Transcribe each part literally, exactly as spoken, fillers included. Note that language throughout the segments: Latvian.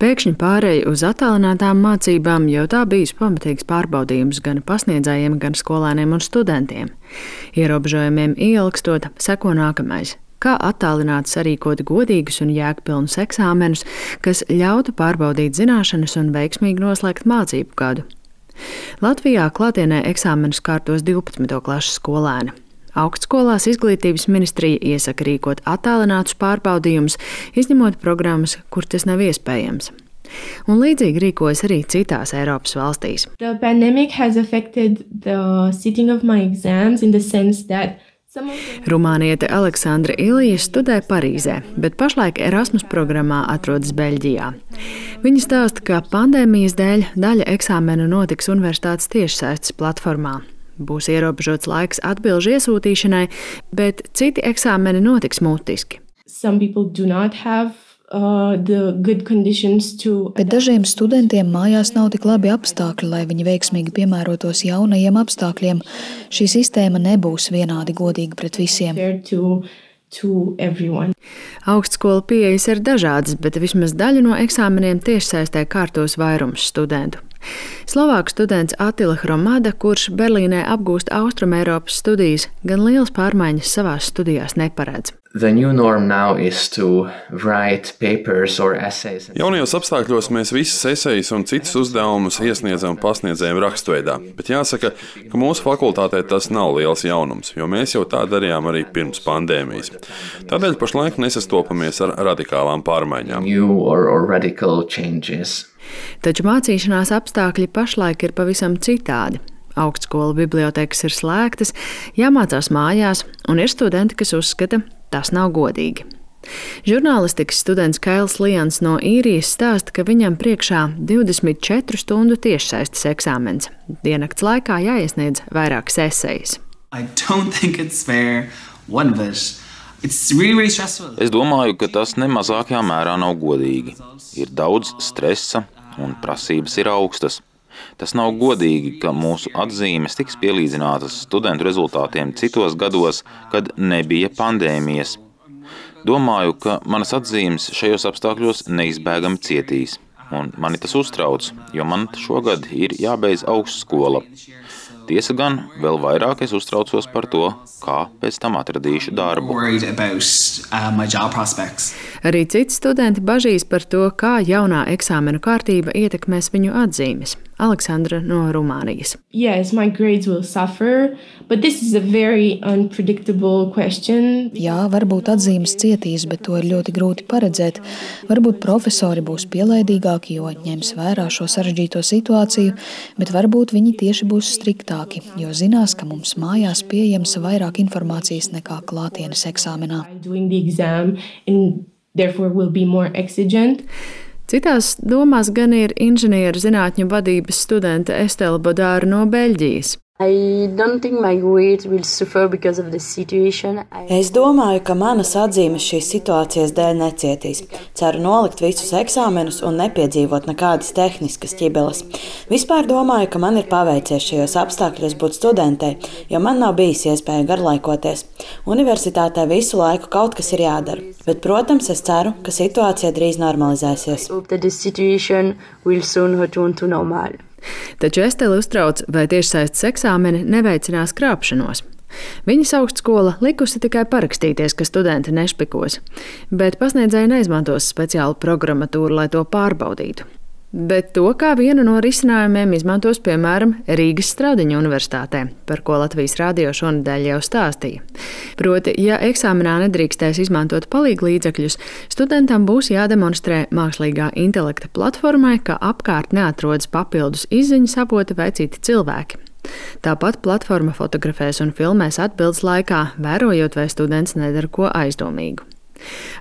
Pēkšņi pārēja uz attālinātām mācībām jau tā bijis pamatīgs pārbaudījums gan pasniedzējiem, gan skolēniem un studentiem. Ierobežojumiem ieilgstot, seko nākamais. Kā attālināt sarīkot godīgus un jēgpilnus eksāmenus, kas ļautu pārbaudīt zināšanas un veiksmīgi noslēgt mācību gadu. Latvijā klātienē eksāmenus kārtos divpadsmito klases skolēni. Augstskolās Izglītības ministrija iesaka rīkot attālinātus pārbaudījumus, izņemot programmas, kur tas nav iespējams. Un līdzīgi rīkojas arī citās Eiropas valstīs. The pandemic has affected the sitting of my exams in the sense that Rumāniete Aleksandra Ilija studē Parīzē, bet pašlaik Erasmus programmā atrodas Beļģijā. Viņa stāsta, ka pandēmijas dēļ daļa eksāmenu notiks universitātes tiešsaistes platformā. Būs ierobežots laiks atbilžu iesūtīšanai, bet citi eksāmeni notiks mutiski. Some people do not have uh, the good conditions to. Bet dažiem studentiem mājās nav tik labi apstākļi, lai viņi veiksmīgi piemērotos jaunajiem apstākļiem. Šī sistēma nebūs vienādi godīga pret visiem. To, to everyone. Augstskola pieejas ir dažādas, bet vismaz daļu no eksāmeniem tiešsaistē kārtos vairums studentu. Slovāku students Attila Hromada, kurš Berlīnē apgūst Austrumeiropas studijas, gan lielas pārmaiņas savās studijās neparedz. Jaunajos apstākļos mēs visas esejas un citus uzdevumus iesniedzam pasniedzējiem rakstveidā, bet jāsaka, ka mūsu fakultātē tas nav liels jaunums, jo mēs jau tā darījām arī pirms pandēmijas. Tādēļ pašlaik nesastopamies ar radikālām pārmaiņām. Taču mācīšanās apstākļi pašlaik ir pavisam citādi. Augstskolu bibliotēkas ir slēgtas, jāmācās mājās, un ir studenti, kas uzskata, tas nav godīgi. Žurnālistikas students Kails Lians no Īrijas stāsta, ka viņam priekšā divdesmit četru stundu tiešsaistes eksāmens. Diennakts laikā jāiesniedz vairākas esejas. Es domāju, ka tas nemazākajā mērā nav godīgi. Ir daudz stresa un prasības ir augstas. Tas nav godīgi, ka mūsu atzīmes tiks pielīdzinātas studentu rezultātiem citos gados, kad nebija pandēmijas. Domāju, ka manas atzīmes šajos apstākļos neizbēgami cietīs. Un mani tas uztrauc, jo man šogad ir jābeidz augstskola. Tiesa gan, vēl vairāk es uztraucos par to, kā pēc tam atradīšu darbu. Arī citi studenti bažīs par to, kā jaunā eksāmenu kārtība ietekmēs viņu atzīmes. Aleksandra no Rumānijas. Yes, my grades will suffer, but this is a very unpredictable question. Jā, varbūt atzīmes cietīs, bet to ir ļoti grūti paredzēt. Varbūt profesori būs pielaidīgāki, jo ņems vērā šo sarežģīto situāciju, bet varbūt viņi tieši būs striktāki, jo zinās, ka mums mājās pieejams vairāk informācijas nekā klātienes eksāmenā. Citās domās gan ir inženieru zinātņu vadības studente Estela Bodāra no Beļģijas. Es domāju, ka manas atzīmes šīs situācijas dēļ necietīs. Ceru nolikt visus eksāmenus un nepiedzīvot nekādas tehniskas ķibeles. Vispār domāju, ka man ir paveicies šajos apstākļos būt studentei, jo man nav bijis iespēja garlaikoties. Universitātē visu laiku kaut kas ir jādara. Bet, protams, es ceru, ka situācija drīz normalizēsies. Taču Estela uztrauc, vai tiešsaistes eksāmeni neveicinās krāpšanos. Viņas augstskola likusi tikai parakstīties, ka studenti nešpikos, bet pasniedzēji neizmantos speciālu programmatūru, lai to pārbaudītu. Bet to kā vienu no risinājumiem izmantos, piemēram, Rīgas Stradiņa universitātē, par ko Latvijas radio šonedēļ jau stāstīja. Proti, ja eksāmenā nedrīkstēs izmantot palīglīdzekļus, studentam būs jādemonstrē mākslīgā intelekta platformai, ka apkārt neatrodas papildus izziņas avoti vai citi cilvēki. Tāpat platforma fotografēs un filmēs atbildes laikā, vērojot, vai students nedara ko aizdomīgu.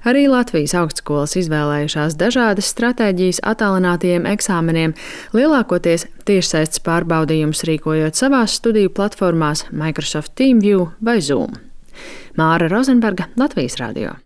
Arī Latvijas augstskolas izvēlējušās dažādas stratēģijas attālinātajiem eksāmeniem, lielākoties tiešsaistes pārbaudījumus rīkojot savās studiju platformās Microsoft TeamView vai Zoom. Māra Rozenberga, Latvijas radio.